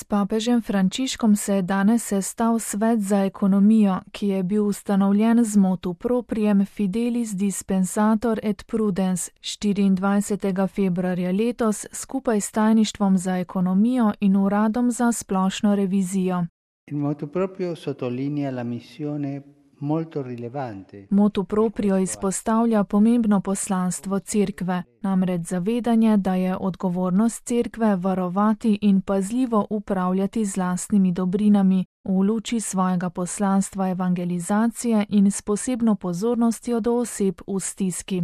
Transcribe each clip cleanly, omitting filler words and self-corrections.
S papežem Frančiškom se je danes sestal Svet za ekonomijo, ki je bil ustanovljen z motu proprium Fidelis Dispensator et Prudens 24. februarja letos skupaj s tajništvom za ekonomijo in uradom za splošno revizijo. Il motu proprio sottolinea la missione molto rilevante. Motu proprio izpostavlja pomembno poslanstvo cerkve, namreč zavedanje, da je odgovornost cerkve varovati in pazljivo upravljati z lastnimi dobrinami v luči svojega poslanstva evangelizacije in s posebno pozornostjo do oseb v stiski.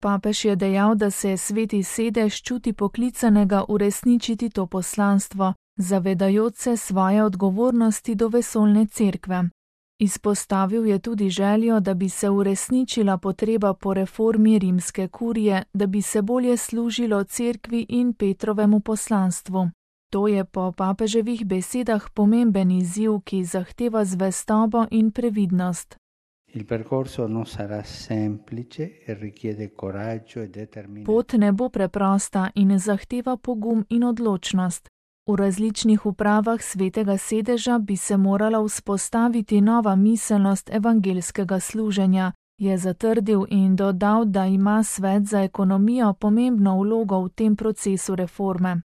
Papež je dejal, da se Sveti sedež čuti poklicanega uresničiti to poslanstvo, zavedajoč se svoje odgovornosti do vesoljne cerkve. Izpostavil je tudi željo, da bi se uresničila potreba po reformi rimske kurije, da bi se bolje služilo cerkvi in Petrovemu poslanstvu. To je po papeževih besedah pomemben izziv, ki zahteva zvestobo in previdnost. Il percorso non sarà semplice e richiede coraggio e determinazione. Pot ne bo preprosta in zahteva pogum in odločnost. V različnih upravah Svetega sedeža bi se morala vzpostaviti nova miselnost evangelskega služenja, je zatrdil in dodal, da ima Svet za ekonomijo pomembno vlogo v tem procesu reforme.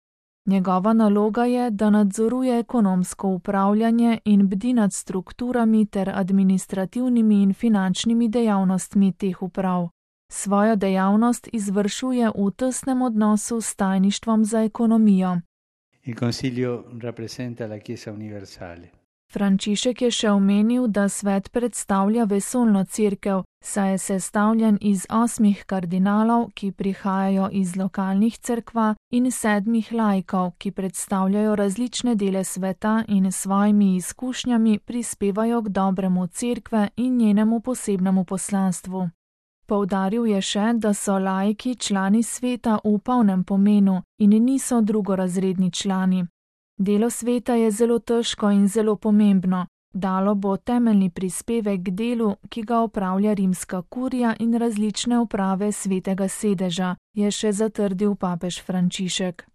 Njegova naloga je, da nadzoruje ekonomsko upravljanje in bdi nad strukturami ter administrativnimi in finančnimi dejavnostmi teh uprav. Svojo dejavnost izvršuje v tesnem odnosu s tajništvom za ekonomijo. Il Consiglio rappresenta la Chiesa universale. Frančišek je še omenil, da svet predstavlja vesoljno cerkev, saj je sestavljen iz 8 kardinalov, ki prihajajo iz lokalnih cerkva, in 7 laikov, ki predstavljajo različne dele sveta in s svojimi izkušnjami prispevajo k dobremu cerkve in njenemu posebnemu poslanstvu. Poudaril je še, da so laiki člani sveta v polnem pomenu in niso drugorazredni člani. Delo sveta je zelo težko in zelo pomembno. Dalo bo temeljni prispevek k delu, ki ga opravlja rimska kurija in različne uprave Svetega sedeža, je še zatrdil papež Frančišek.